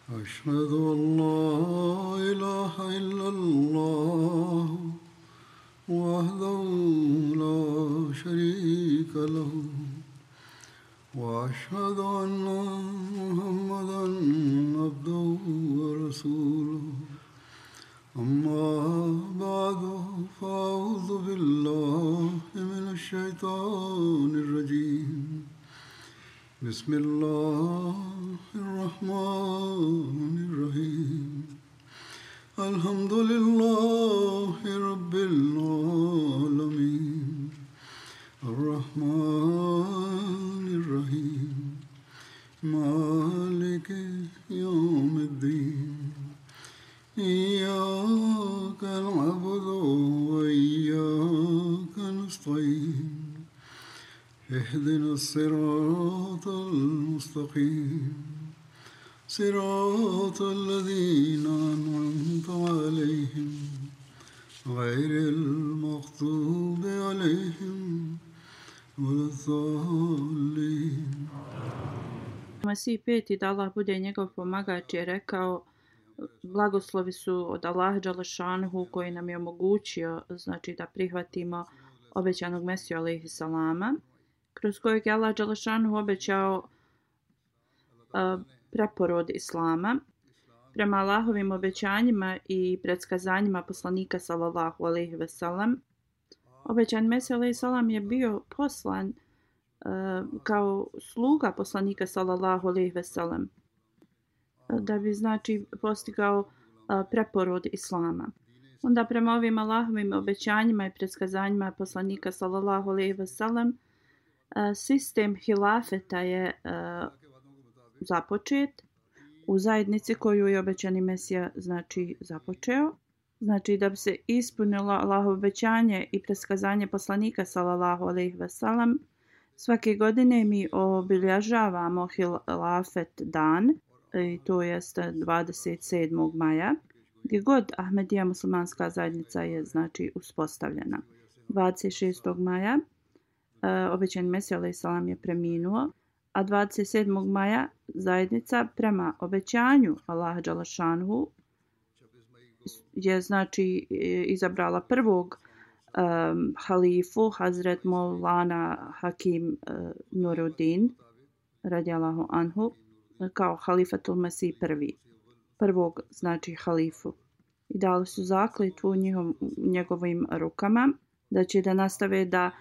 أشهد أن لا إله إلا الله وحده لا شريك له وأشهد أن محمدا عبده ورسوله أما بعد فأعوذ بالله من الشيطان الرجيم بسم الله الرحمن الرحيم الحمد لله رب العالمين الرحمن الرحيم مالك يوم الدين إياك نعبد وإياك نستعين اهدنا الصراط المستقيم صراط الذين أنعمت عليهم غير المغضوب عليهم ولا الضالين. Mesih peti, da Allah bude njegov pomagač, je rekao: blagoslovi su od Allaha dželešanuhu koji nam je omogućio, znači, da prihvatimo obećanog Mesiju alejhi salama, kroz kojeg je Allah dželešanuhu obećao preporod islama. Prema Allahovim obećanjima i predskazanjima poslanika sallallahu alejhi ve sellem, obećan Mesija alejhi salam je bio poslan kao sluga poslanika sallallahu alejhi ve sellem, da bi, znači, postigao preporod islama. Onda prema ovim Allahovim obećanjima i predskazanjima poslanika sallallahu alejhi ve sellem, sistem hilafeta je započet u zajednici koju je obećani Mesija, znači, započeo. Znači, da bi se ispunilo Allahovo obećanje i predskazanje poslanika sallallahu alejhi ve sellem, svake godine mi obilježavamo hilafet dan, i to jest 27. maja, gdje god Ahmedija muslimanska zajednica je, znači, uspostavljena. 26. maja obećani Mesija alejhi salam je preminuo, a 27. maja zajednica prema obećanju Allaha dželešanuhu je, znači, izabrala prvog halifu, Hazret Maulana Hakim Nuruddin radijallahu anhu, kao halifatul Mesih prvog, znači, halifu. I dali su zakletvu njegovim rukama da će da nastave da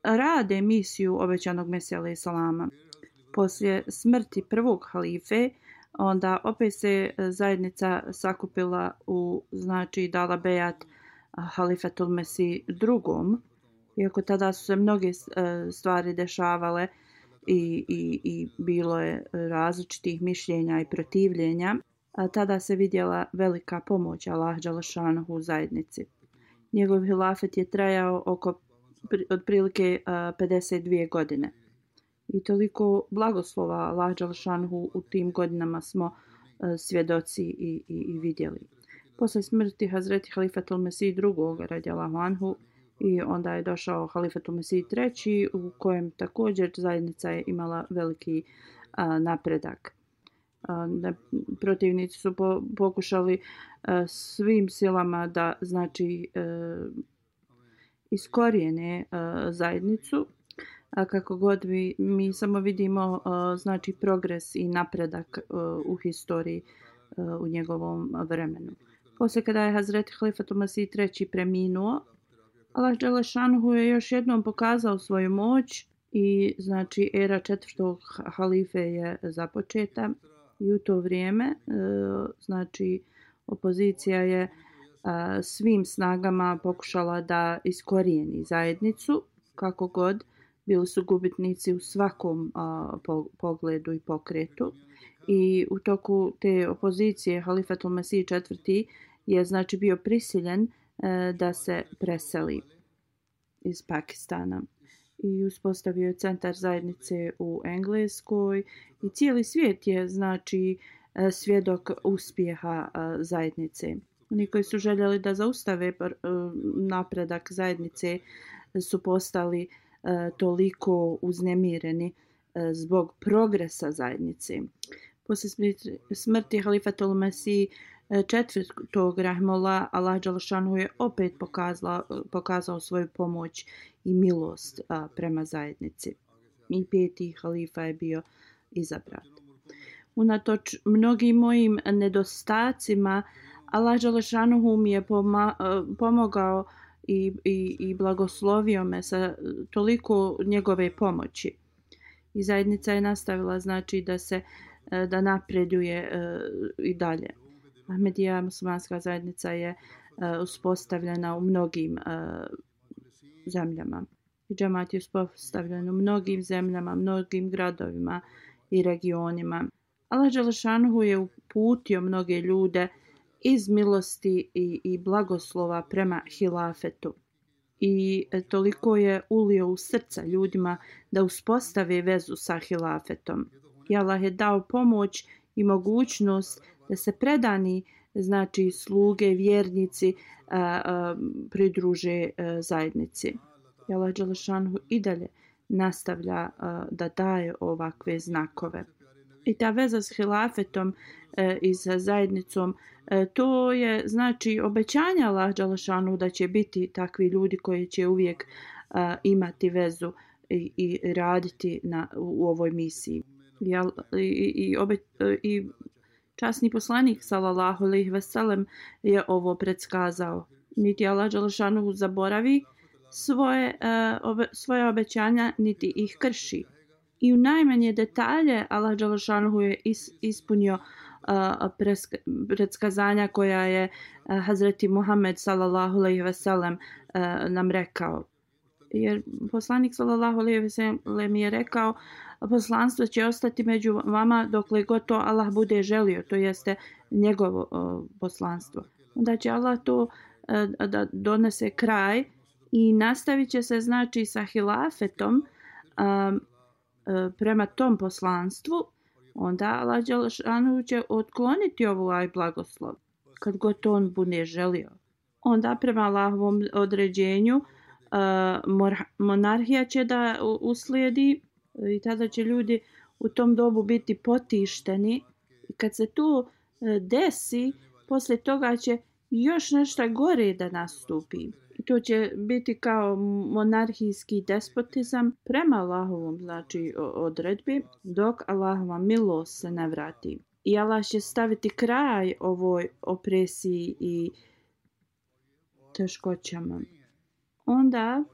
rade misiju obećanog Mesija alejhi salama. Poslije smrti prvog halife, onda opet se zajednica sakupila znači, dala bejat halifatul Mesih drugom, iako tada su se mnoge stvari dešavale i bilo je različitih mišljenja i protivljenja, tada se vidjela velika pomoć Allaha dželešanuhu u zajednici. Njegov hilafet je trajao otprilike 52 godine. I toliko blagoslova Allaha dželešanuhu u tim godinama smo svjedoci i vidjeli. Posle smrti Hazreti Halifatul Mesih drugog radijallahu anhu, i onda je došao Halifatul Mesih treći, u kojem također zajednica je imala veliki napredak. Protivnici su pokušali svim silama da, znači, iskorijene zajednicu, a kako god mi samo vidimo, znači, progres i napredak u historiji u njegovom vremenu. Poslije kada je Hazreti Halifatul Mesih treći preminuo, Allah dželešanuhu je još jednom pokazao svoju moć i, znači, era četvrtog halife je započeta, i u to vrijeme, znači, opozicija je svim snagama pokušala da iskorijeni zajednicu, kako god. Bili su gubitnici u svakom pogledu i pokretu. I u toku te opozicije Halifatul Mesih četvrti je, znači, bio prisiljen da se preseli iz Pakistana i uspostavio je centar zajednice u Engleskoj, i cijeli svijet je, znači, svjedok uspjeha zajednice. Oni koji su željeli da zaustave napredak zajednice su postali toliko uznemireni zbog progresa zajednice. Poslije smrti halifatul Mesih četvrtog rahimahullah, Allah dželešanu je opet pokazao svoju pomoć i milost prema zajednici. I peti halifa je bio izabran. Unatoč mnogim mojim nedostacima, Allah dželešanu mi je pomogao i blagoslovio me sa toliko njegove pomoći. I zajednica je nastavila znači da napreduje i dalje. Ahmedija muslimanska zajednica je uspostavljena u mnogim zemljama. I džemat je uspostavljen u mnogim zemljama, mnogim gradovima i regionima. Allah dželešanu je uputio mnoge ljude iz milosti i blagoslova prema hilafetu. I toliko je ulio u srca ljudima da uspostave vezu sa hilafetom. I Allah je dao pomoć i mogućnost da se predani, znači sluge, vjernici pridruže zajednici. I Allah dželešanu i dalje nastavlja da daje ovakve znakove. I ta veza s hilafetom i sa zajednicom, to je znači obećanje Allah dželešanu da će biti takvi ljudi koji će uvijek imati vezu i raditi u ovoj misiji. I časni poslanik sallallahu alejhi ve sellem je ovo predskazao. Niti Allah dželešanu zaboravi svoje obećanja, niti ih krši. I u najmanje detalje Allah dželešanu je ispunio predskazanja koja je Hazreti Muhammed sallallahu alejhi ve sellem nam rekao. Jer poslanik sallallahu alejhi ve sellem je rekao: poslanstvo će ostati među vama dokle god to Allah bude želio, to jeste njegovo poslanstvo. Onda će Allah to da donese kraj i nastavit će se znači sa hilafetom prema tom poslanstvu. Onda Allah dželešanu će otkloniti ovaj blagoslov kad god to on bude želio. Onda prema Allahovom određenju monarhija će da uslijedi i tada će ljudi u tom dobu biti potišteni. I kad se to desi, poslije toga će još nešto gore da nastupi. I to će biti kao monarhijski despotizam prema Allahovom znači odredbi, dok Allahova milost se ne vrati. I Allah će staviti kraj ovoj opresiji i teškoćama. Onda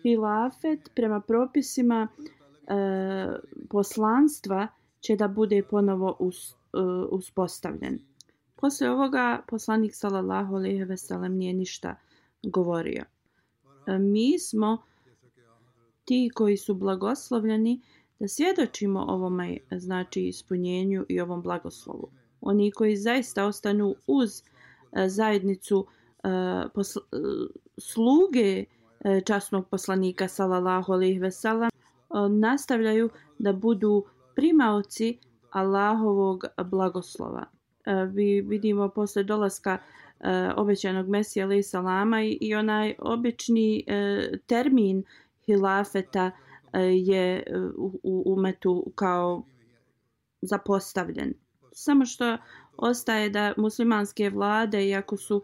hilafet prema propisima poslanstva će da bude ponovo uspostavljen. Poslije ovoga poslanik sallallahu alejhi ve sellem nije ništa govorio. Mi smo ti koji su blagoslovljeni da svjedočimo ovome znači ispunjenju i ovom blagoslovu. Oni koji zaista ostanu uz zajednicu sluge časnog poslanika sallallahu alejhi ve sellem nastavljaju da budu primaoci Allahovog blagoslova. Vi vidimo posle dolaska obećanog Mesija alejhi salama i onaj obični termin hilafeta je u umetu kao zapostavljen. Samo što ostaje da muslimanske vlade, iako su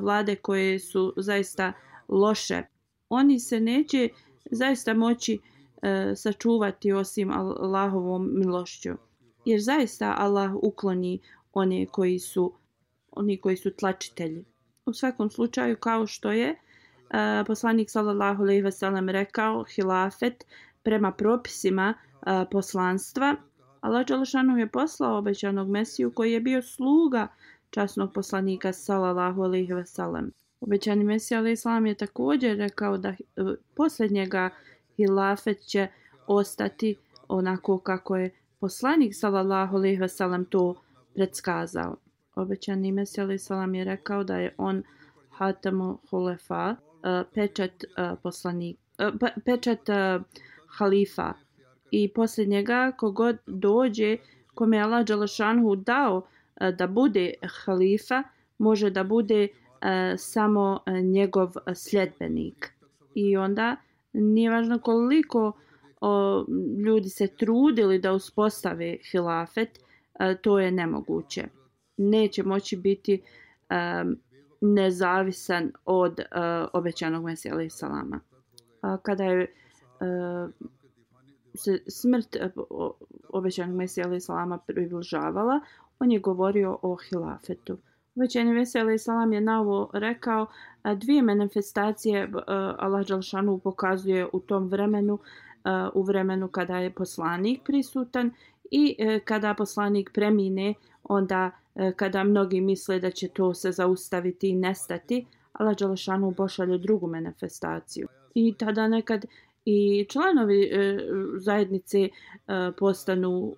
vlade koje su zaista loše, oni se neće zaista moći sačuvati osim Allahovom milošću. Jer zaista Allah ukloni oni koji su tlačitelji. U svakom slučaju, kao što je poslanik sallallahu alejhi ve sellem rekao, hilafet prema propisima poslanstva, Allah dželešanu je poslao obećanog Mesiju koji je bio sluga časnog poslanika sallallahu alejhi ve sellem. Obećani Mesija alejhi salam je također rekao da posljednjega hilafet će ostati onako kako je poslanik sallallahu alejhi ve sellem to predskazao. Obećani Mesija alejhi salam je rekao da je on hatamu hulefa, pečat halifa, i poslije njega kogod dođe kome je Allah dželešanu dao da bude halifa, može da bude samo njegov sljedbenik. I onda nije važno koliko ljudi se trudili da uspostave hilafet, to je nemoguće. Neće moći biti nezavisan od obećanog Mesija alejhi salama. Kada je se smrt obećanog Mesija alejhi salama približavala, on je govorio o hilafetu. Obećani Mesija alejhi salam je na ovo rekao dvije manifestacije Allah dželešanu pokazuje u tom vremenu, u vremenu kada je poslanik prisutan i kada poslanik premine, onda kada mnogi misle da će to se zaustaviti i nestati, Allah dželešanu pošalje drugu manifestaciju. I tada nekad i članovi zajednice postanu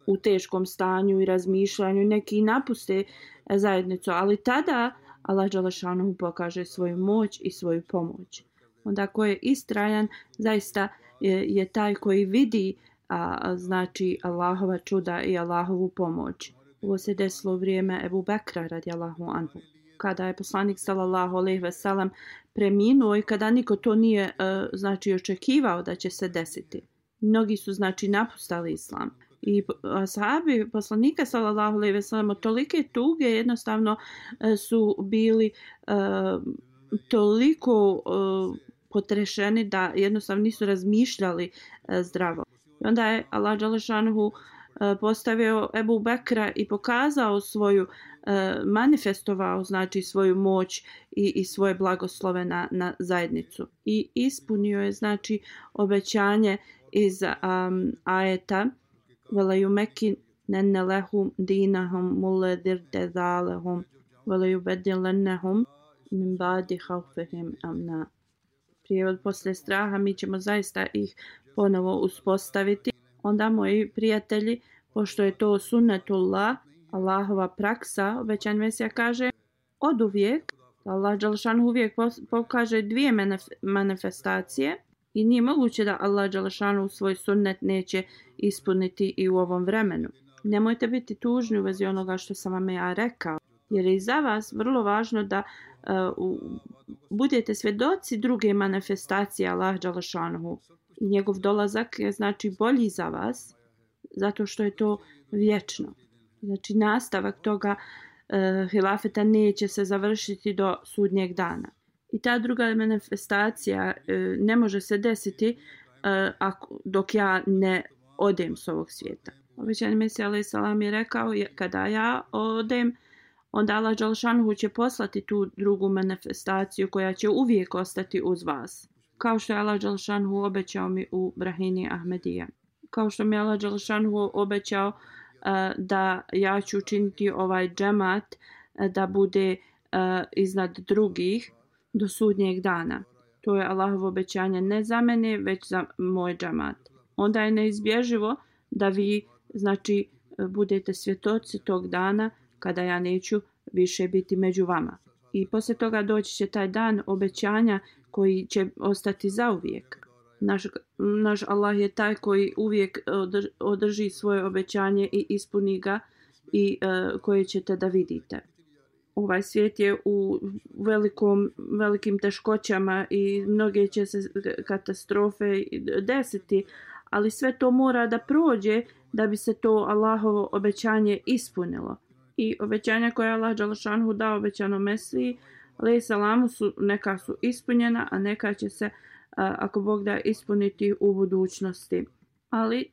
u teškom stanju i razmišljanju, neki napuste zajednicu, ali tada Allah dželešanu pokaže svoju moć i svoju pomoć. Onda ko je istrajan, zaista je taj koji vidi znači Allahova čuda i Allahovu pomoć. Ovo se desilo u vrijeme Ebu Bekra radijallahu anhu, kada je poslanik sallallahu alejhi ve sellem preminuo i kada niko to nije znači očekivao da će se desiti. Mnogi su znači napustali islam. I ashabi poslanika sallallahu alejhi ve sellem od tolike tuge jednostavno su bili toliko potrešeni da jednostavno nisu razmišljali zdravo. I onda je Allah dželešanu postavio Ebu Bekra i pokazao svoju, manifestovao znači svoju moć i svoje blagoslove na zajednicu. I ispunio je znači obećanje iz ajeta وَلَا يُمَكِّنَنَّ لَهُمْ دِينَهُمْ مُلَّذِي ارْتَضَىٰ لَهُمْ وَلَا يُبَدِّلَنَّهُمْ مِنْ بَعْدِ خَوْفِهِمْ أَمْنًا. Prijevod: poslije straha mi ćemo zaista ih ponovo uspostaviti. Onda, moji prijatelji, pošto je to sunnetullah, Allahova praksa, obećan Mesija kaže od uvijek, Allah dželešanu uvijek pokaže dvije manifestacije i nije moguće da Allah dželešanu svoj sunnet neće ispuniti i u ovom vremenu. Nemojte biti tužni u vezi onoga što sam vam ja rekao, jer je i za vas vrlo važno da budete svjedoci druge manifestacije Allah dželešanu. I njegov dolazak je znači bolji za vas, zato što je to vječno. Znači nastavak toga hilafeta neće se završiti do sudnjeg dana. I ta druga manifestacija ne može se desiti dok ja ne odem s ovog svijeta. Obećani Mesija alejhi salam je rekao, kada ja odem, onda Allah dželešanu će poslati tu drugu manifestaciju koja će uvijek ostati uz vas. Kao što je Allah dželešanu obećao mi u Brahini Ahmedija. Kao što mi je Allah dželešanu obećao da ja ću učiniti ovaj džemat da bude iznad drugih do sudnjeg dana. To je Allahovo obećanje ne za mene, već za moj džemat. Onda je neizbježivo da vi znači budete svjedoci tog dana kada ja neću više biti među vama. I poslije toga doći će taj dan obećanja koji će ostati zauvijek. Naš Allah je taj koji uvijek održi svoje obećanje i ispuni ga i koje ćete da vidite. Ovaj svijet je u velikim teškoćama i mnoge će se katastrofe desiti, ali sve to mora da prođe da bi se to Allahovo obećanje ispunilo. I obećanja koje je Allah dželešanu dao obećanom Mesiji alejhi salamu neka su ispunjena, a neka će se ako Bog da ispuniti u budućnosti. Ali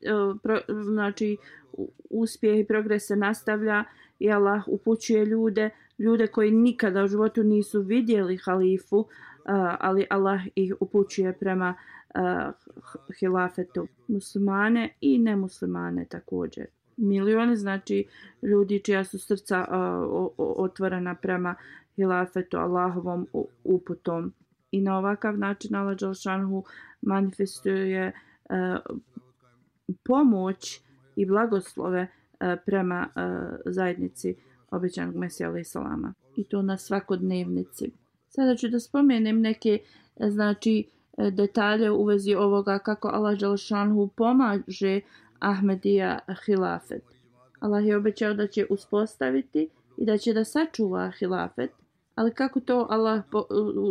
znači uspjeh i progres se nastavlja i Allah upućuje ljude koji nikada u životu nisu vidjeli halifu, ali Allah ih upućuje prema hilafetu. Muslimane i nemuslimane također. Milioni znači ljudi čija su srca otvorena prema hilafetu, Allahovom uputom. I na ovakav način Allah dželešanu manifestuje pomoć i blagoslove prema zajednici obećanog Mesija alejhi salama. I to na svakodnevnici. Sada ću da spomenem neke znači detalje u vezi ovoga kako Allah dželešanu pomaže Ahmedija hilafet. Allah je obećao da će uspostaviti i da će da sačuva hilafet, ali kako to Allah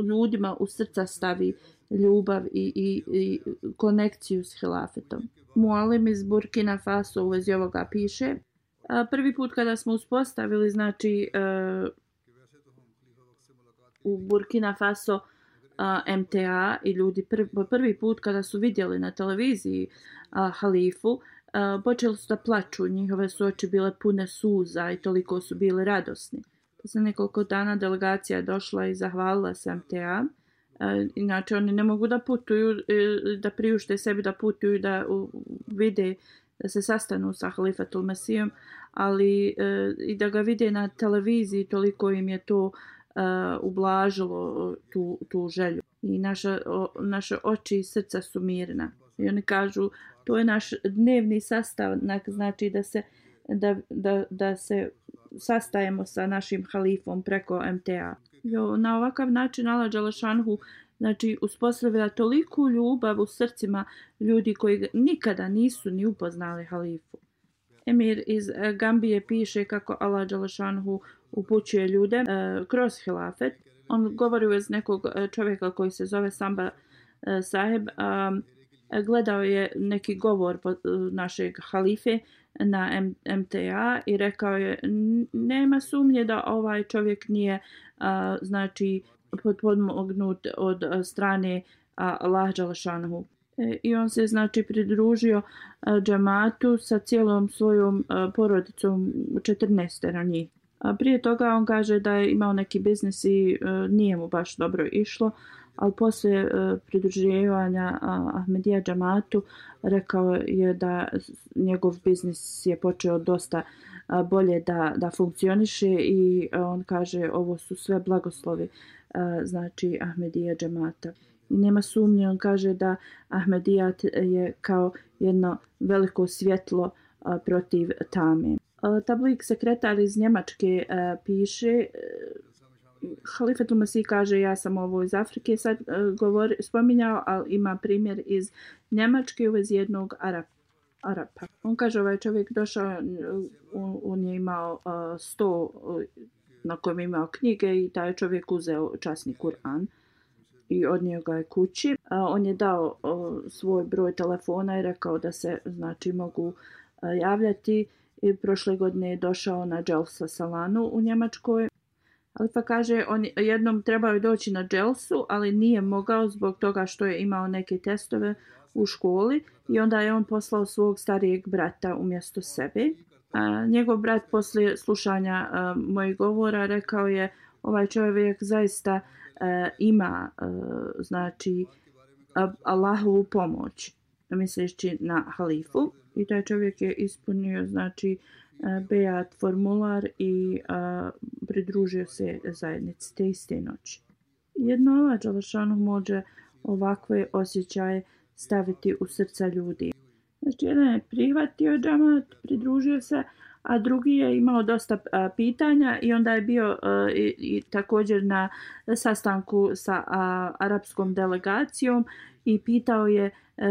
ljudima u srca stavi ljubav i konekciju s hilafetom. Mualim iz Burkina Faso u vezi ovoga piše: Prvi put kada smo uspostavili, znači, u Burkina Faso MTA i ljudi prvi put kada su vidjeli na televiziji halifu, počeli su da plaču, njihove su oči bile pune suza i toliko su bili radosni. Posle nekoliko dana delegacija je došla i zahvalila se MTA. Inače oni ne mogu da putuju, da priušte sebi da putuju, da vide, da se sastanu sa halifatul Mesijom, ali i da ga vide na televiziji, toliko im je to ublažilo tu želju. I naše oči i srca su mirna. I oni kažu, to je naš dnevni sastanak, znači da se sastajemo sa našim halifom preko MTA. Na ovakav način Allah dželešanhu, znači, uspostavlja toliku ljubav u srcima ljudi koji nikada nisu ni upoznali halifu. Emir iz Gambije piše kako Allah dželešanhu upućuje ljude kroz hilafet. On govori iz nekog čovjeka koji se zove Samba Saheb. Gledao je neki govor našeg halife na MTA i rekao je, nema sumnje da ovaj čovjek nije znači potpomognut od strane Allah dželešanhu. I on se znači pridružio džematu sa cijelom svojom porodicom, 14 njih. Prije toga on kaže da je imao neki biznis i nije mu baš dobro išlo, ali poslije pridruživanja Ahmedija džematu rekao je da njegov biznis je počeo dosta bolje da funkcioniše i on kaže ovo su sve blagoslovi znači Ahmedija džemata. I nema sumnje, on kaže da Ahmedijat je kao jedno veliko svjetlo protiv tame. Tablik sekretar iz Njemačke piše, Halifatul Mesih kaže, ja sam ovo iz Afrike sad spominjao, ali ima primjer iz Njemačke u vezi jednog Arapa. On kaže, ovaj čovjek došao, on je imao sto na kojem je imao knjige i taj čovjek uzeo časni Kur'an i odnio ga je kući. On je dao svoj broj telefona i rekao da se znači mogu javljati. I prošle godine je došao na Dželsa Salanu u Njemačkoj. Ali pa kaže, on jednom trebao je doći na Dželsu, ali nije mogao zbog toga što je imao neke testove u školi i onda je on poslao svog starijeg brata umjesto sebe. Njegov brat poslije slušanja mojih govora rekao je, ovaj čovjek zaista ima znači Allahovu pomoć, misleći na halifu, i taj čovjek je ispunio znači bejat formular i pridružio se zajednici te iste noći. Jedno Allah dželešanu može ovakve osjećaje staviti u srca ljudi. Znači jedan je prihvatio džamat, pridružio se, a drugi je imao dosta pitanja i onda je bio i također na sastanku sa arapskom delegacijom i pitao je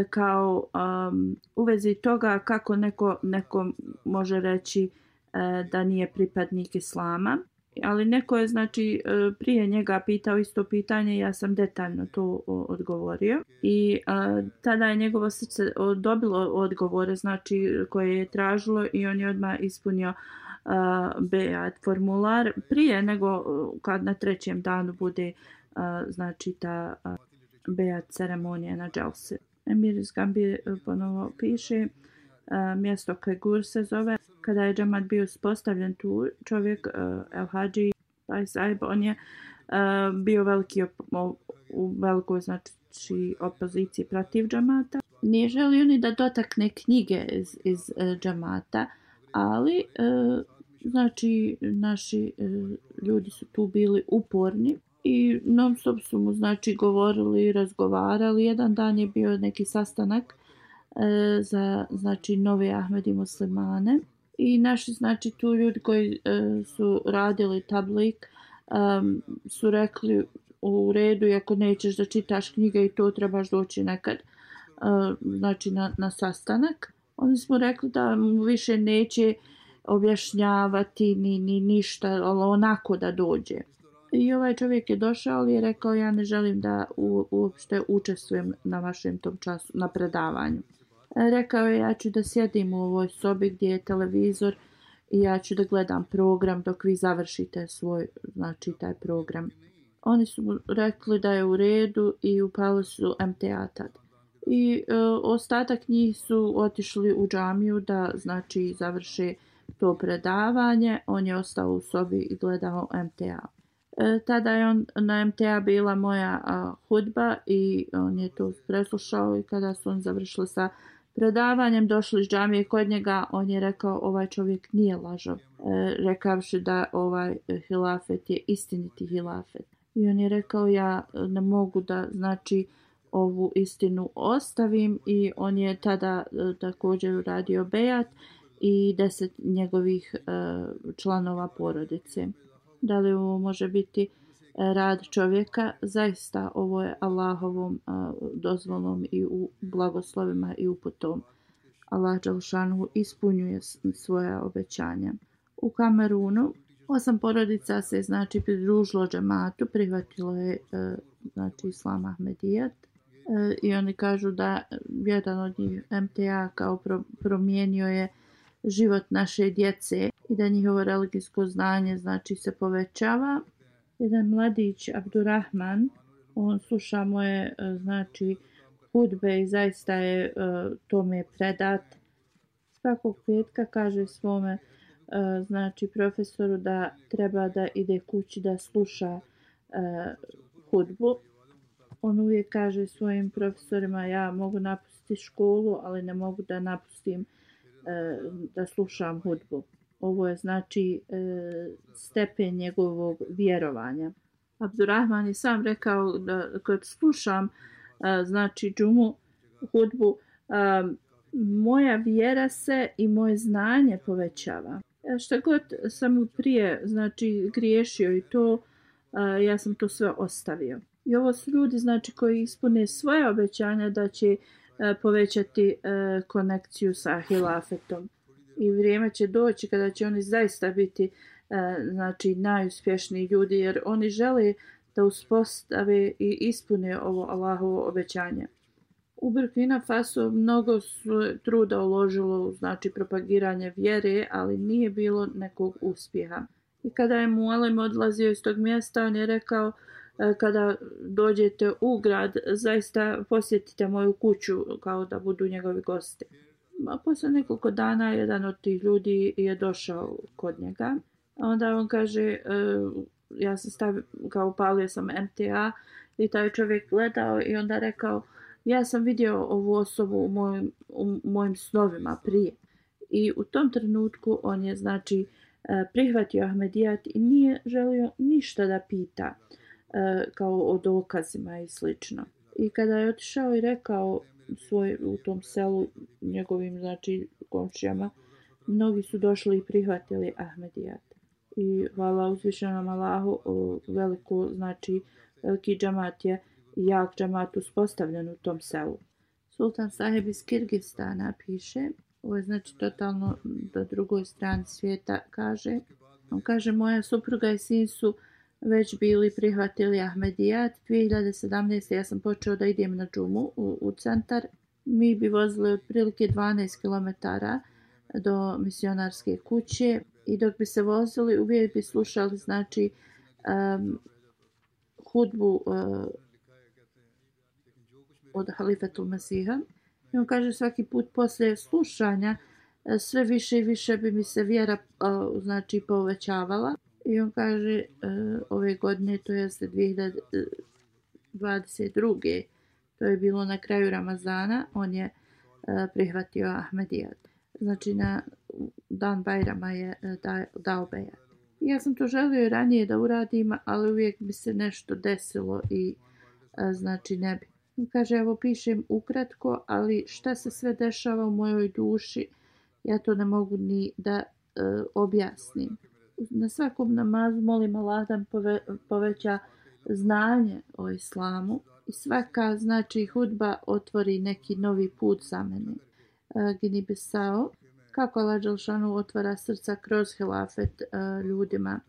kao u vezi toga kako neko može reći da nije pripadnik islama. Ali neko je znači prije njega pitao isto pitanje, ja sam detaljno to odgovorio i tada je njegovo srce dobilo odgovore znači koje je tražilo i on je odmah ispunio bejat formular prije nego kad na trećem danu bude znači ta bejat ceremonija na dželsi. Emir iz Gambije ponovo piše, mjesto Kegur se zove. Kada je džemat bio uspostavljen tu, čovjek El Hadži Sahib, on je bio u velikoj znači opoziciji protiv džemata. Nije želio ni da dotakne knjige iz džemata, ali znači naši ljudi su tu bili uporni i non stop su mu znači govorili i razgovarali. Jedan dan je bio neki sastanak za znači nove Ahmedi muslimane i naši znači tu ljudi koji su radili tablik su rekli u redu, ako nećeš da čitaš knjige i to trebaš doći nekad znači na sastanak. Oni smo rekli da mu više neće objašnjavati ni ništa, ali onako da dođe. I ovaj čovjek je došao i je rekao, ja ne želim da uopšte učestvujem na vašem tom času, na predavanju. Rekao je, ja ću da sjedim u ovoj sobi gdje je televizor i ja ću da gledam program dok vi završite svoj, znači taj program. Oni su mu rekli da je u redu i upali su MTA tad. I ostatak njih su otišli u džamiju da znači završe to predavanje. On je ostao u sobi i gledao MTA. Tada je na MTA bila moja hudba i on je to preslušao i kada su on završili sa predavanjem, došli iz džamije kod njega, on je rekao ovaj čovjek nije lažov, rekavši da ovaj hilafet je istiniti hilafet. I on je rekao ja ne mogu da znači ovu istinu ostavim i on je tada također uradio bejat i 10 njegovih članova porodice. Da li ovo može biti rad čovjeka? Zaista ovo je Allahovom dozvolom i u blagoslovima i uputom. Allah dželešanu ispunjuje svoja obećanja. U Kamerunu 8 porodica se znači pridružilo džematu, prihvatilo je znači Islam Ahmedijat i oni kažu da jedan od njih MTA kao promijenio je život naše djece i da njihovo religijsko znanje znači se povećava. Jedan mladić Abdurrahman, on sluša moje znači hudbe i zaista je tome predat. Svakog petka kaže svome znači profesoru da treba da ide kući da sluša hudbu. On uvijek kaže svojim profesorima ja mogu napustiti školu, ali ne mogu da napustim da slušam hudbu. Ovo je znači stepen njegovog vjerovanja. Abdurrahman je sam rekao da kad slušam znači džumu, hudbu, moja vjera se i moje znanje povećava. Šta god sam prije znači griješio i to, ja sam to sve ostavio. I ovo su ljudi znači koji ispune svoje obećanja da će povećati konekciju sa hilafetom. I vrijeme će doći kada će oni zaista biti znači najuspješniji ljudi jer oni žele da uspostave i ispune ovo Allahovo obećanje. U Burkina Faso mnogo su truda uložilo u znači propagiranje vjere, ali nije bilo nekog uspjeha. I kada je Mualem odlazio iz tog mjesta, on je rekao kada dođete u grad, zaista posjetite moju kuću kao da budu njegovi gosti. A posle nekoliko dana jedan od tih ljudi je došao kod njega. A onda on kaže, ja sam stavio, kao upalio sam MTA i taj čovjek gledao i onda rekao, ja sam vidio ovu osobu u mojim snovima prije. I u tom trenutku on je znači prihvatio Ahmedijat i nije želio ništa da pita kao o dokazima i slično. I kada je otišao i rekao u tom selu njegovim znači komšijama, mnogi su došli i prihvatili Ahmedijat. I hvala uzvišenom Allahu, veliki džamat je i jak džamat uspostavljen u tom selu. Sultan Saheb iz Kirgistana piše, ovo je znači totalno do drugoj strani svijeta kaže. On kaže, moja supruga i sin su već bili prihvatili Ahmedijat. 2017. ja sam počeo da idem na džumu u centar. Mi bi vozili otprilike 12 km do misionarske kuće i dok bi se vozili uvijek bi slušali znači hudbu od Halifetul Mesiha. I on kaže svaki put poslije slušanja sve više i više bi mi se vjera znači povećavala. I on kaže ove godine, to jeste 2022. To je bilo na kraju Ramazana, on je prihvatio Ahmedijat. Znači na dan Bajrama je dao bejat. Ja sam to želio i ranije da uradim, ali uvijek bi se nešto desilo i znači ne bi. Kaže, evo pišem ukratko, ali šta se sve dešava u mojoj duši, ja to ne mogu ni da objasnim. Na svakom namazu molim Allah da poveća znanje o islamu i svaka znači hudba otvori neki novi put za mene. Gini Bisao, kako Allah dželešanu otvara srca kroz hilafet ljudima.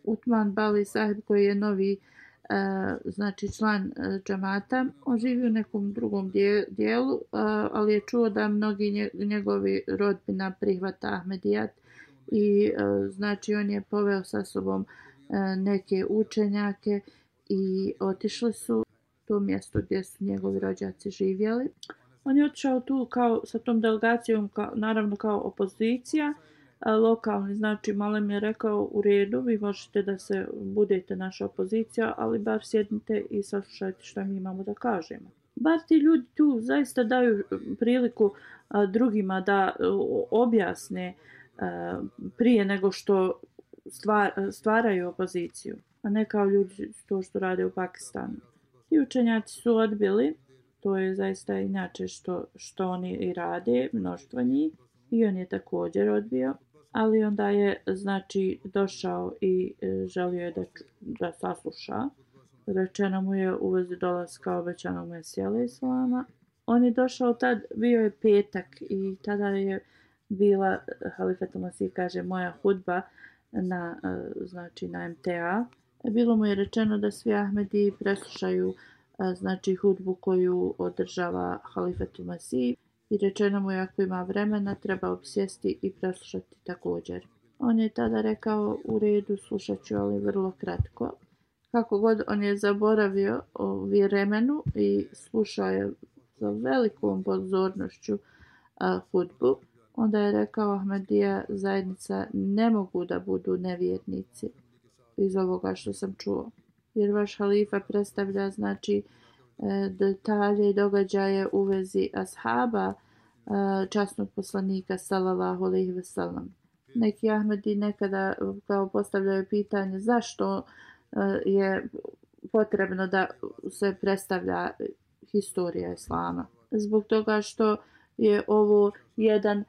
Utman Bali Sahib koji je novi znači član džamata, on živi u nekom drugom dijelu, ali je čuo da mnogi njegovi rodbina prihvata Ahmedijat i znači on je poveo sa sobom neke učenjake i otišli su to mjesto gdje su njegovi rođaci živjeli. On je otišao tu kao sa tom delegacijom, naravno kao opozicija, lokalni, znači Malem je rekao u redu, vi možete da se budete naša opozicija, ali bar sjednite i saslušajte što mi imamo da kažemo. Bar ti ljudi tu zaista daju priliku drugima da objasne prije nego što stvaraju opoziciju, a ne kao ljudi to što rade u Pakistanu. Ti učenjaci su odbili, to je zaista inače što oni i rade, mnoštvo njih, i on je također odbio, ali onda je znači došao i želio je da sasluša. Rečeno mu je u vezi dolaska obećanog Mesija alejhi selama. On je došao tad, bio je petak i tada je bila, Halifatul Masih kaže, moja hudba znači na MTA. Bilo mu je rečeno da svi Ahmedi preslušaju znači hudbu koju održava Halifatul Masih i rečeno mu je ako ima vremena treba obsjesti i preslušati također. On je tada rekao u redu, slušat ću, ali vrlo kratko. Kako god on je zaboravio o vremenu i slušao je sa velikom pozornošću hudbu. Onda je rekao Ahmadija zajednica ne mogu da budu nevjernici iz ovoga što sam čuo. Jer vaš halifa predstavlja znači detalje i događaje u vezi ashaba časnog poslanika sallallahu alejhi ve sellem. Neki Ahmedi nekada kao postavljaju pitanje zašto je potrebno da se predstavlja historija islama. Zbog toga što je ovo jedan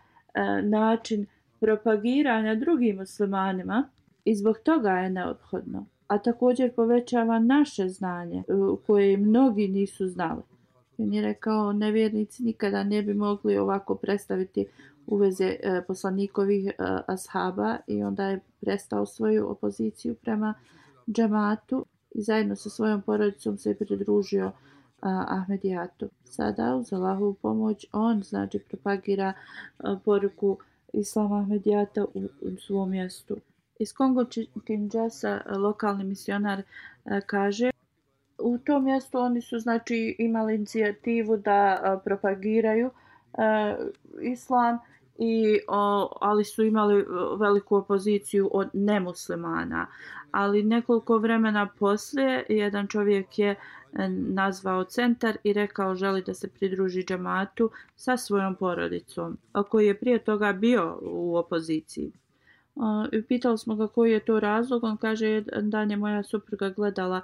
način propagiranja drugim muslimanima i zbog toga je neophodno. A također povećava naše znanje koje mnogi nisu znali. On je rekao nevjernici nikada ne bi mogli ovako predstaviti u vezi poslanikovih ashaba i onda je prestao svoju opoziciju prema džematu i zajedno sa svojom porodicom se pridružio Ahmedijatu. Sada uz Allahovu pomoć on znači propagira poruku Islama Ahmedijata u svom mjestu. Iz Kongo Kinshasa lokalni misionar kaže u tom mjestu oni su znači imali inicijativu da propagiraju islam ali su imali veliku opoziciju od nemuslimana. Ali nekoliko vremena poslije jedan čovjek je nazvao centar i rekao želi da se pridruži džematu sa svojom porodicom, koji je prije toga bio u opoziciji. Pitali smo ga koji je to razlog. On kaže jedan dan je moja supruga gledala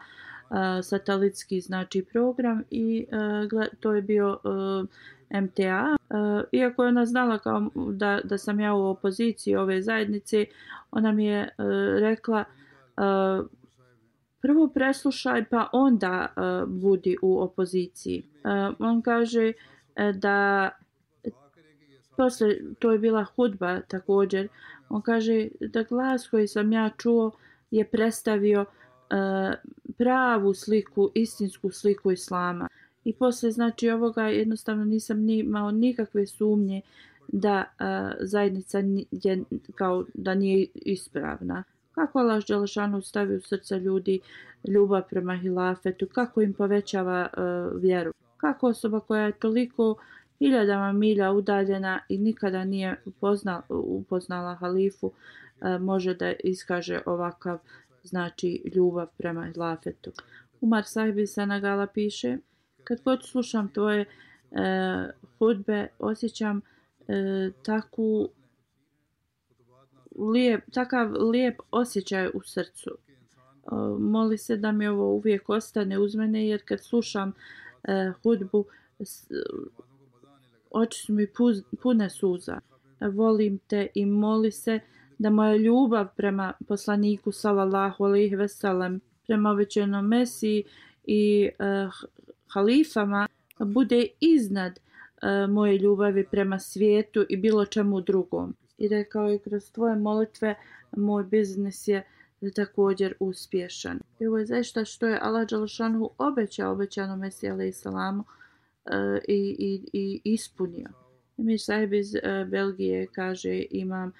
satelitski znači program i to je bio MTA. Iako je ona znala kao da sam ja u opoziciji ove zajednice, ona mi je rekla prvo preslušaj pa onda budi u opoziciji. On kaže da posle, to je bila hudba također, on kaže da glas koji sam ja čuo je predstavio pravu sliku, istinsku sliku islama. I poslije znači ovoga jednostavno nisam imao nikakve sumnje da zajednica je kao da nije ispravna. Kako Allah dželešanu stavi u srca ljudi ljubav prema hilafetu, kako im povećava vjeru. Kako osoba koja je toliko hiljadama milja udaljena i nikada nije upoznala halifu može da iskaže ovakav znači ljubav prema hilafetu. Umar Sahib iz Senegala piše: kad god slušam tvoje hudbe, osjećam takav lijep osjećaj u srcu. Moli se da mi ovo uvijek ostane uz mene, jer kad slušam hudbu, oči su mi pune suza. Volim te i moli se da moja ljubav prema poslaniku sallallahu alejhi ve sellem, prema obećanom Mesiji i halifama bude iznad moje ljubavi prema svijetu i bilo čemu drugom. I rekao je kroz tvoje molitve moj biznis je također uspješan. I ovo je zaista što je Allah dželešanu obećanom Mesiji alejhi selamu i ispunio. Emir Sahib iz Belgije kaže imam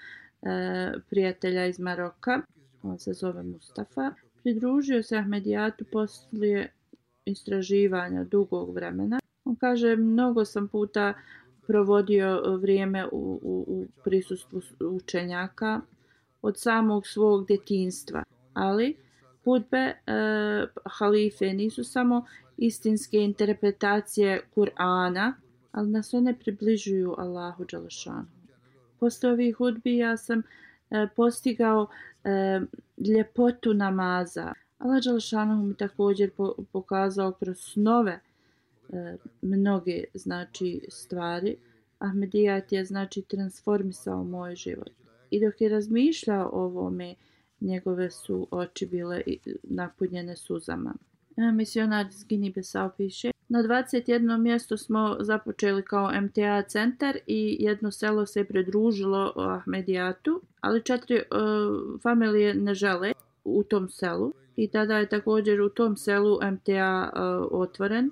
prijatelja iz Maroka, on se zove Mustafa. Pridružio se Ahmedijatu poslije istraživanja dugog vremena. On kaže, mnogo sam puta provodio vrijeme u prisustvu učenjaka od samog svog djetinjstva, ali hudbe halife nisu samo istinske interpretacije Kur'ana, ali nas one približuju Allahu dželešanu. Posle ovih hudbi ja sam postigao ljepotu namaza. Allah dželešanu mi također pokazao kroz snove mnoge stvari. Ahmedijat je transformisao moj život. I dok je razmišljao o ovome, njegove su oči bile napunjene suzama. Misionar iz Gini-Bisau piše: na 21. mjestu smo započeli kao MTA centar i jedno selo se pridružilo Ahmedijatu, ali 4 familije ne žele u tom selu. I tada je također u tom selu MTA otvoren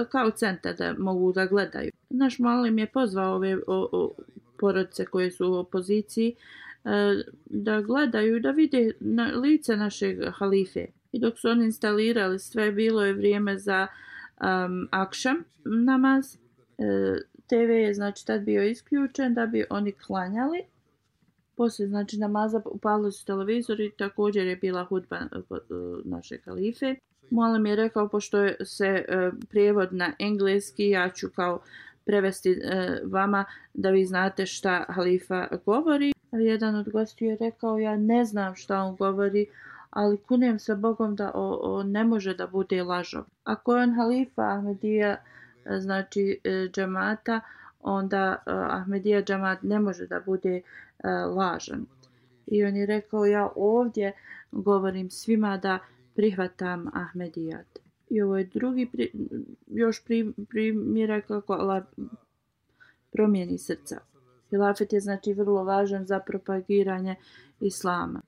kao centar da mogu da gledaju. Naš muallim je pozvao ove porodice koje su u opoziciji da gledaju, da vide lice našeg halife. I dok su oni instalirali sve, bilo je vrijeme za akšam namaz. TV je tad bio isključen da bi oni klanjali. Poslije namaza upalili su televizor i također je bila hudba našeg halife. Muallim je rekao, pošto se prijevod na engleski, ja ću kao prevesti vama da vi znate šta halifa govori. Jedan od gostiju je rekao, ja ne znam šta on govori, ali kunem se Bogom da on ne može da bude lažov. Ako je on halifa Ahmedija, džamata, onda Ahmedija džamat ne može da bude lažan. I on je rekao, ja ovdje govorim svima da prihvatam Ahmedijat. I ovo je drugi primjer kako Allah promijeni srca. Hilafet je vrlo važan za propagiranje islama.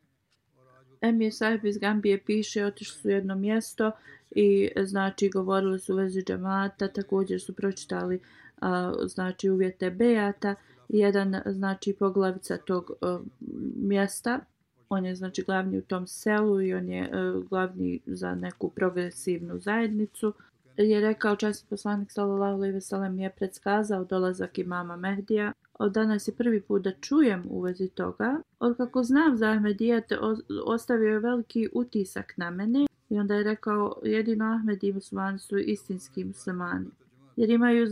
Emir Sahib iz Gambije piše, otišli su u jedno mjesto i govorili su u vezi džamata, također su pročitali uvjete bejata. Jedan poglavica tog mjesta, on je glavni u tom selu i on je glavni za neku progresivnu zajednicu, je rekao, časni poslanik sallallahu alejhi ve sellem je predskazao dolazak imama Mehdija. Od danas je prvi put da čujem u vezi toga. Od kako znam za Ahmedijat, ostavio je veliki utisak na mene i onda je rekao, jedino Ahmedi muslimani su istinski muslimani. Jer imaju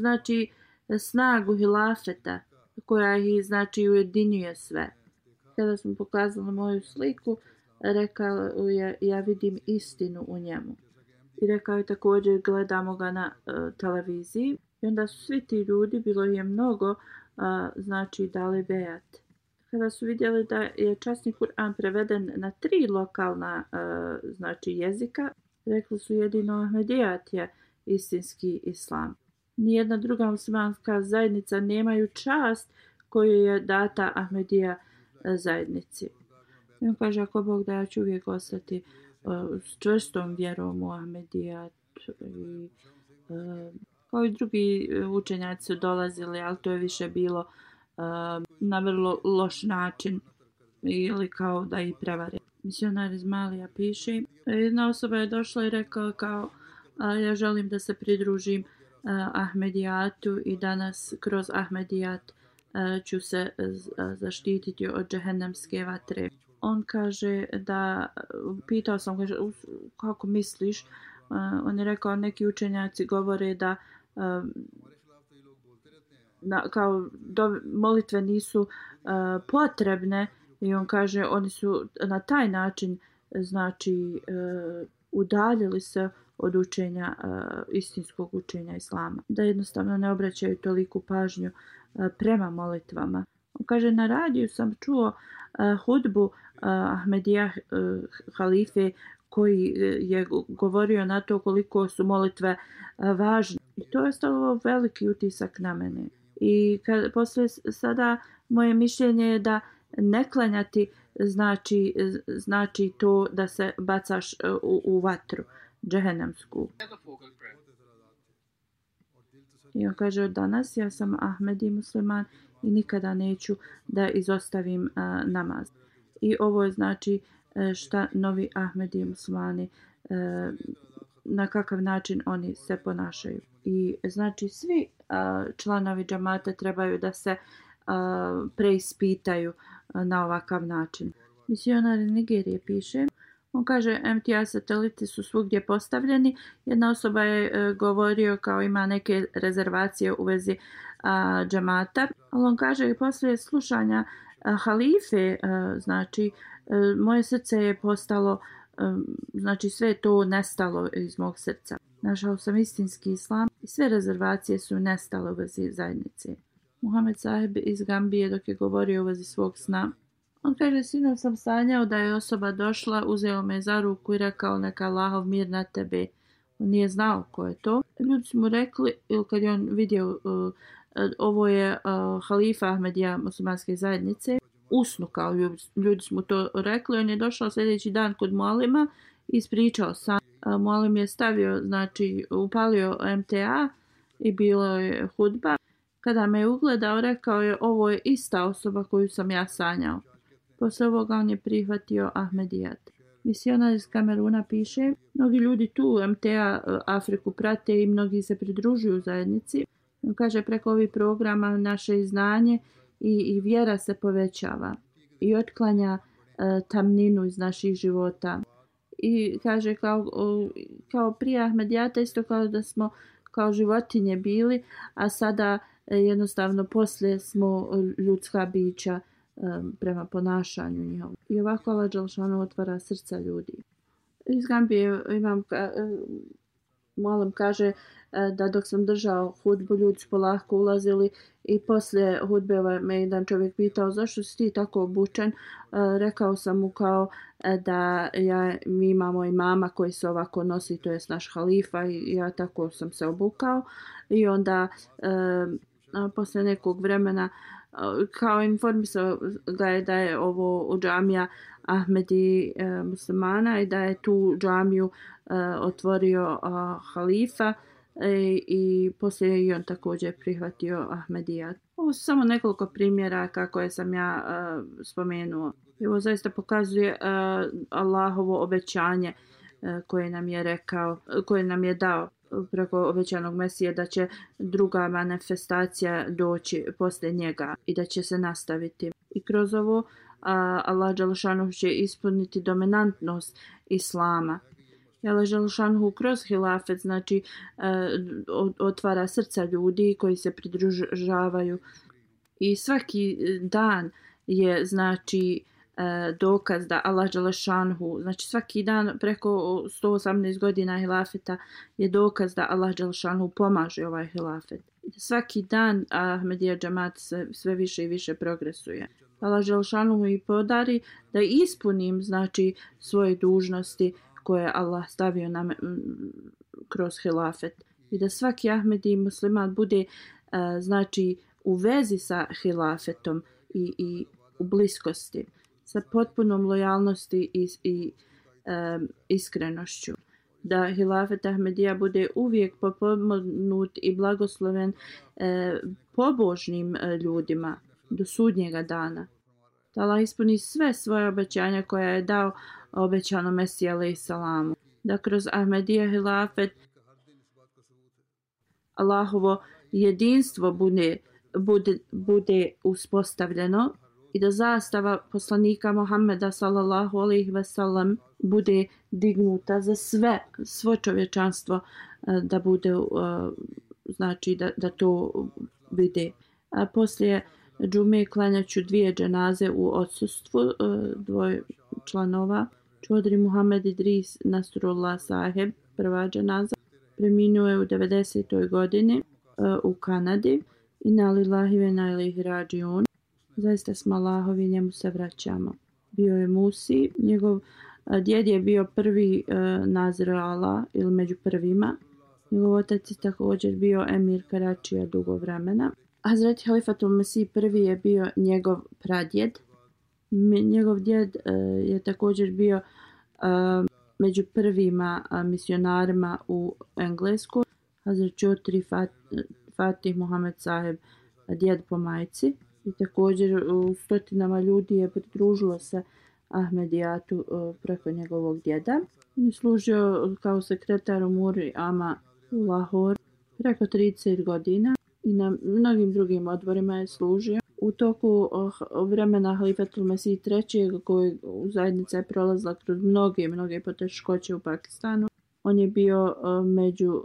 snagu hilafeta koja ih ujedinjuje sve. Kada smo pokazali moju sliku, rekao je, ja vidim istinu u njemu. I rekao je također, gledamo ga na televiziji. I onda su svi ti ljudi, bilo je mnogo, dali bejat. Kada su vidjeli da je časni Kur'an preveden na 3 lokalna jezika, rekli su, jedino Ahmedijat je istinski islam. Nijedna druga muslimanska zajednica nemaju čast koju je data Ahmedija zajednici. I on kaže, ako Bog da, ja ću uvijek ostati s čvrstom vjerom u Ahmedijat. Kao i drugi učenjaci su dolazili, ali to je više bilo na vrlo loš način ili kao da ih prevare. Misionar iz Malija piše, jedna osoba je došla i rekao kao, ja želim da se pridružim Ahmedijatu i danas kroz Ahmedijat ću se zaštititi od džehennemske vatre. On kaže da, pitao sam, kaže, kako misliš? On je rekao, neki učenjaci govore da molitve nisu potrebne i on kaže, oni su na taj način udaljili se od učenja, istinskog učenja islama. Da jednostavno ne obraćaju toliku pažnju prema molitvama. On kaže, na radiju sam čuo hudbu Ahmedija halife koji je govorio na to koliko su molitve važne. I to je stavilo veliki utisak na mene. I poslije sada moje mišljenje je da ne klanjati znači to da se bacaš u vatru džehennemsku. I on kaže, od danas ja sam Ahmedi musliman i nikada neću da izostavim namaz. I ovo je znači šta novi Ahmedi muslimani, na kakav način oni se ponašaju. I znači svi članovi džamata trebaju da se preispitaju na ovakav način. Misionar Nigerije piše, on kaže MTA sateliti su svugdje postavljeni. Jedna osoba je govorio kao ima neke rezervacije u vezi džamata, ali on kaže poslije slušanja halife, znači moje srce je postalo, znači sve to nestalo iz mog srca. Našao sam istinski islam i sve rezervacije su nestale u vezi zajednice. Muhammed Sahib iz Gambije dok je govorio u vezi svog sna, on kaže, sinoć sam sanjao da je osoba došla, uzeo me za ruku i rekao neka Allahov mir na tebe. On nije znao ko je to. Ljudi su mu rekli, ili kad je on vidio, ovo je halifa Ahmedija muslimanske zajednice, usnu kao ljudi su mu to rekli. On je došao sljedeći dan kod mualima i ispričao san. Mualim je stavio, znači upalio MTA i bilo je hudba. Kada me je ugledao, rekao je ovo je ista osoba koju sam ja sanjao. Posle ovoga on je prihvatio Ahmedijat. Misionar iz Kameruna piše, mnogi ljudi tu MTA Afriku prate i mnogi se pridružuju zajednici. On kaže preko ovih programa naše znanje i vjera se povećava i otklanja tamninu iz naših života. I kaže kao prije Ahmedijata isto kao da smo kao životinje bili, a sada jednostavno poslije smo ljudska bića prema ponašanju njihovom. I ovako Allah dželešanu otvara srca ljudi. Iz Gambije imam molim kaže da dok sam držao hudbu ljudi su polako ulazili i poslije hudbe me jedan čovjek pitao zašto si ti tako obučen. Rekao sam mu kao da mi imamo imama koji se ovako nosi, to je naš halifa i ja tako sam se obukao. I onda poslije nekog vremena kao informisao da je ovo džamija Ahmedi muslimana i da je tu džamiju otvorio halifa i poslije i on također prihvatio Ahmedijat. Ovo su samo nekoliko primjera kako sam ja spomenuo. Ovo zaista pokazuje Allahovo obećanje koje nam je rekao, koje nam je dao preko obećanog Mesije da će druga manifestacija doći poslije njega i da će se nastaviti. I kroz ovo Allah dželešanu će ispuniti dominantnost islama. Allah dželešanu kroz hilafet znači otvara srca ljudi koji se pridružavaju i svaki dan je znači dokaz da Allah dželešanu, znači svaki dan preko 118 godina hilafeta je dokaz da Allah dželešanu pomaže ovaj hilafet. Svaki dan Ahmedija džamat sve više i više progresuje. Allah dželešanu i podari da ispunim znači svoje dužnosti koje Allah stavio nam kroz hilafet i da svaki Ahmedi musliman bude znači u vezi sa hilafetom i u bliskosti sa potpunom lojalnosti i iskrenošću. Da hilafet Ahmedija bude uvijek potpomognut i blagosloven pobožnim ljudima do sudnjega dana. Da Allah ispuni sve svoje obećanja koja je dao obećano Mesiji alejhi salamu. Da kroz Ahmedija hilafet Allahovo jedinstvo bude uspostavljeno i da zastava poslanika Muhammeda sallallahu alejhi ve sellem bude dignuta za svo čovječanstvo da bude znači da to vide. A poslije džume klanjaću 2 dženaze u odsustvu 2 članova. Čodri Muhammed Idris Nasrullah Saheb, prva dženaza, preminuo je u 90. godini u Kanadi. Inna lillahi ve inna ilaihi rađiun. Zaista smo Allahovi, njemu se vraćamo. Bio je Musi, njegov djed je bio prvi Nazir Allah ili među prvima. Njegov otac je također bio emir Karačija dugo vremena. Hazreti Halifatul Mesih prvi je bio njegov pradjed. Njegov djed je također bio među prvima misionarima u Engleskoj. Hazret Čotri Fatih Muhammed Saheb, djed po majci. I također u stotinama ljudi je pridružilo se Ahmedijatu preko njegovog djeda. On je služio kao sekretar u Muri Ama u Lahore preko 30 godina i na mnogim drugim odborima je služio. U toku vremena Halifatul Mesih III. Koji zajednica je prolazila kroz mnoge poteškoće u Pakistanu. On je bio među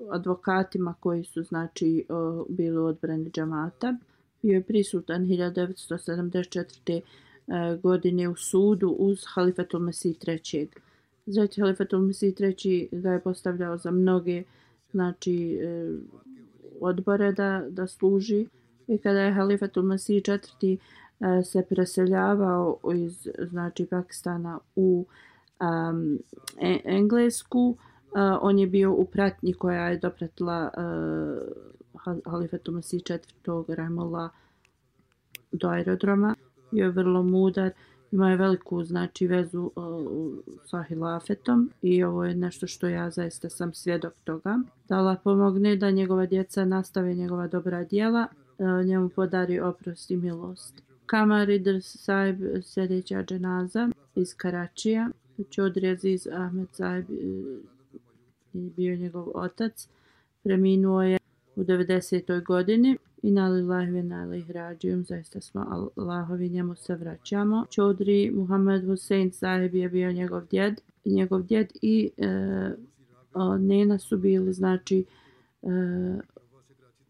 advokatima koji su znači bili u odbrani džamata. Bio je prisutan 1974. Godine u sudu uz Halifatul Mesih III. Znači Halifatul Mesih III. Ga je postavljao za mnoge znači odbore da služi. I kada je Halifatul Mesih IV. Se preseljavao iz znači Pakistana u Englesku, on je bio u pratnji koja je dopratila Halifatul Mesih IV. Rahimahullah do aerodroma. Bio je vrlo mudar, imao je veliku znači vezu sa hilafetom i ovo je nešto što ja zaista sam svjedok toga. Da Allah pomogne da njegova djeca nastave njegova dobra djela, njemu podari oprost i milost. Kamar Idris Sahib, sljedeća dženaza iz Karačija. Čodri Aziz Ahmed Sahib je bio njegov otac. Preminuo je u 90. godini. Inna lillahi wa inna ilaihi rađiun, zaista smo Allahovi, njemu se vraćamo. Čodri Muhammed Hussein Sahib je bio njegov djed i nena su bili znači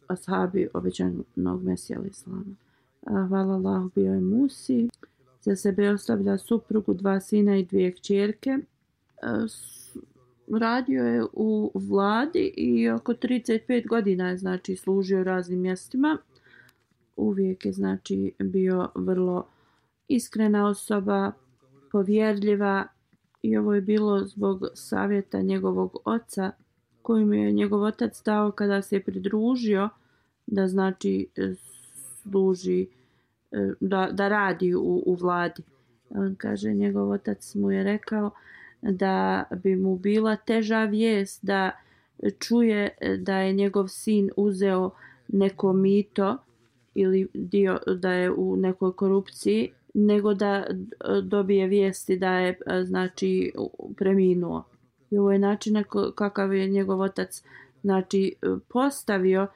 ashabi obećanog Mesija al-Islama. Hvala Allahu, bio je Musi. Za sebe ostavlja suprugu, 2 sina i 2 kćerke. Radio je u vladi i oko 35 godina je znači služio raznim mjestima. Uvijek je znači bio vrlo iskrena osoba, povjerljiva i ovo je bilo zbog savjeta njegovog oca kojim je njegov otac dao kada se je pridružio da znači služi, da radi u vladi. On kaže, njegov otac mu je rekao da bi mu bila teža vijest da čuje da je njegov sin uzeo neko mito ili da je u nekoj korupciji, nego da dobije vijesti da je znači preminuo. I ovo je način kakav je njegov otac znači postavio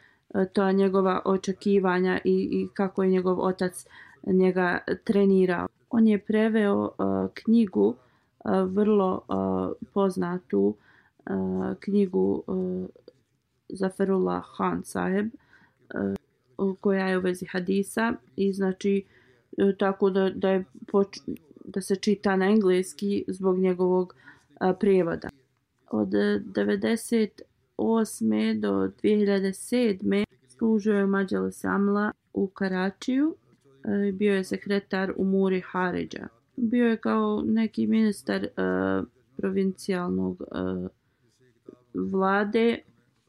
to njegova očekivanja i kako je njegov otac njega trenirao. On je preveo knjigu, vrlo poznatu knjigu Zaferullah Khan Saheb, koja je u vezi hadisa i znači tako da se čita na engleski zbog njegovog prijevoda. Od 98. do 2007. služio je Mađalis Amla u Karačiju. Bio je sekretar u Muri Haridža. Bio je kao neki ministar provincijalnog vlade.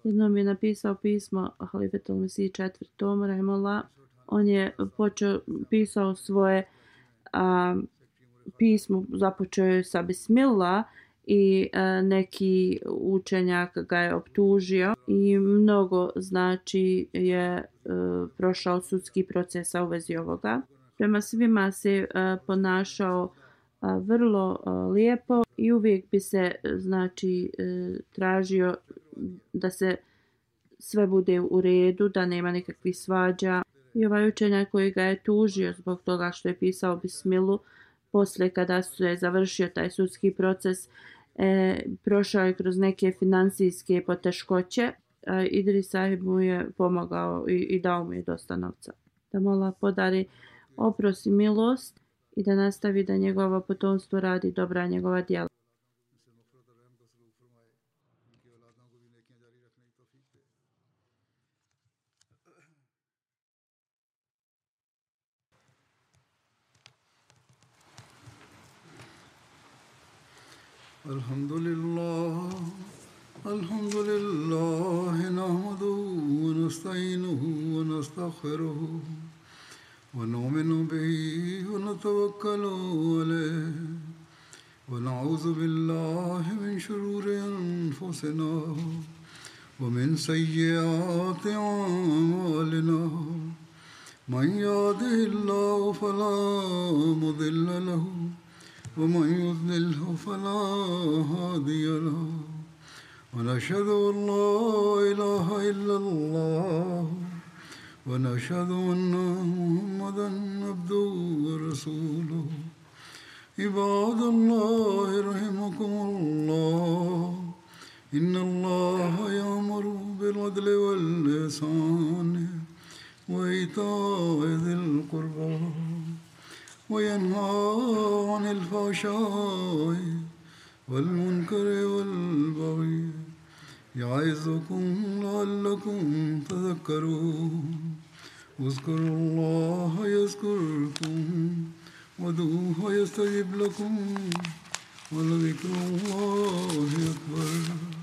Jednom je napisao pismo Halifatul Mesih IV. Rahimahullah. On je pisao svoje pismo, započeo je sa Bismillah i neki učenjak ga je optužio i mnogo znači je prošao sudski proces u vezi ovoga. Prema svima se ponašao vrlo lijepo i uvijek bi se znači tražio da se sve bude u redu, da nema nikakvih svađa. I ovaj učenjak koji ga je tužio zbog toga što je pisao Bismilu, poslije kada se je završio taj sudski proces, prošao je kroz neke finansijske poteškoće. Idris Sahib mu je pomogao i dao mu je dosta novca. Da mu Allah podari oprost i milost i da nastavi da njegovo potomstvo radi dobra njegova djela. Alhamdulillah, nahmaduhu wa nasta'inuhu wa nastaghfiruhu wa nu'minu bihi wa natawakkalu alayhi wa na'udhu billahi min shururi anfusina wa min sayyiati a'malina من يهده الله فلا مضل له ومن يضلله فلا هادي له ونشهد أن لا إله إلا الله ونشهد أن محمدا عبده ورسوله عباد الله رحمكم الله إن الله يأمر بالعدل والإحسان وإيتاء ذي القربى وينهى عن الفحشاء والمنكر والبغي يعظكم لعلكم تذكرون اذكروا الله يذكركم وادعوه يستجب لكم ولذكر الله أكبر